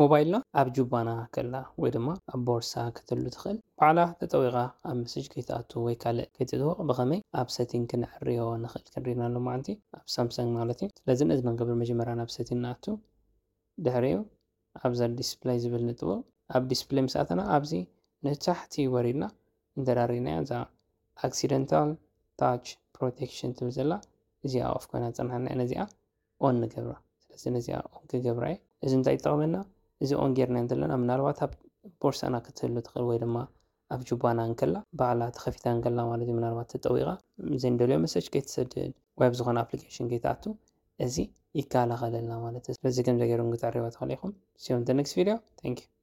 ሞባይልና ኣብ ጁባና ከላ ወይ ድማ ኣብ ቦርሳ ክትህሉ ትኽእል፣ ባዕላ ተጠዊቓ ኣብ መሰጅ ከይትኣቱ ወይ ካልእ ከይትጥወቕ ብኸመይ ኣብ ሰቲንግ ክነዕርዮ ንኽእል ክንሪና ኣሎ ማለት እዩ፣ ኣብ ሳምሰንግ ማለት እዩ። ስለዚ ነዚ መንገብር መጀመርያ ናብ ሰቲንግ ንኣቱ፣ ድሕሪኡ ኣብዛ ዲስፕላይ ዝብል ንጥወቕ። ኣብ ዲስፕላይ ምስ ኣተና ኣብዚ ንታሕቲ ወሪድና እንተዳሪናያ እዛ ኣክሲደንታል ታች ፕሮቴክሽን ትብል ዘላ እዚኣ ኦፍ ኮይና ዝፀናሓና እያ። ነዚኣ ኦን ንገብራ። ስለዚ ነዚኣ ኦን ክገብራ እየ። እዚ እንታይ ይጠቕመና? እዚ ኦን ጌርና እንተለና ምናልባት ኣብ ቦርሳና ክትህሉ ትኽእል ወይ ድማ ኣብ ጁባና እንከላ ባዕላ ተኸፊታ እንከላ ማለት እዩ። ምናልባት ተጠዊቓ ዘይንደልዮ መሰጅ ከይትሰድድ ወይ ኣብ ዝኾነ ኣፕሊኬሽን ከይትኣቱ እዚ ይከላኸለልና ማለት እዩ። ስለዚ ከም ዘገይሩ ክትዕርዋ ትኽእል ኢኹም። See you in the next video. Thank you.